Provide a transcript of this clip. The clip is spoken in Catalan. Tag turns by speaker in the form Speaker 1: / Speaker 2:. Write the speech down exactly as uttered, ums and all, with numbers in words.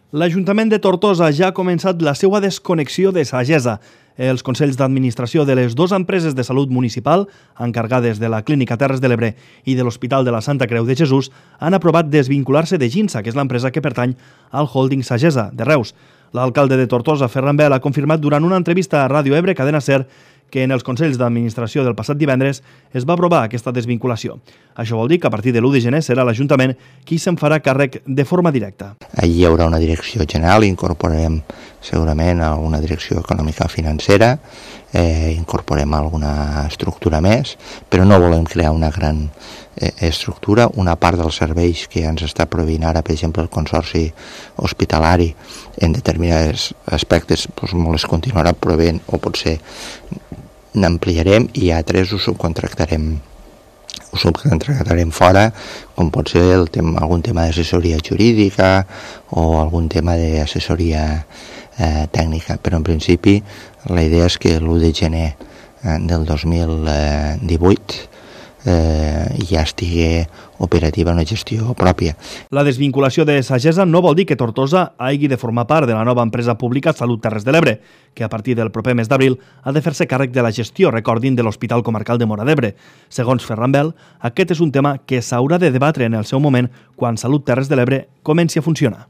Speaker 1: L'Ajuntament de Tortosa ja ha començat la seva desconnexió de Sagesa. Els consells d'administració de les dues empreses de salut municipal, encarregades de la Clínica Terres de l'Ebre i de l'Hospital de la Santa Creu de Jesús, han aprovat desvincular-se de Ginsa, que és l'empresa que pertany al holding Sagesa, de Reus. L'alcalde de Tortosa, Ferran Bel, ha confirmat durant una entrevista a Ràdio Ebre, Cadena Ser, que en els consells d'administració del passat divendres es va aprovar aquesta desvinculació. Això vol dir que a partir de l'u de gener serà l'Ajuntament qui se'n farà càrrec de forma directa.
Speaker 2: Allí hi haurà una direcció general, incorporarem segurament alguna direcció econòmica financera, eh, incorporem alguna estructura més, però no volem crear una gran eh, estructura. Una part dels serveis que ens està proveint ara, per exemple, el Consorci Hospitalari, en determinats aspectes doncs, molt es continuarà proveint, o potser n'ampliarem, i altres ho subcontractarem ho subcontractarem fora, com pot ser el tema, algun tema d'assessoria jurídica o algun tema d'assessoria eh, tècnica, però en principi la idea és que l'u de gener eh, del dos mil divuit eh, ja estigui operativa una gestió pròpia.
Speaker 1: La desvinculació de Sagesa no vol dir que Tortosa hagi de formar part de la nova empresa pública Salut Terres de l'Ebre, que a partir del proper mes d'abril ha de fer-se càrrec de la gestió, recordin, de l'Hospital Comarcal de Móra d'Ebre. Segons Ferran Bel, aquest és un tema que s'haurà de debatre en el seu moment quan Salut Terres de l'Ebre comenci a funcionar.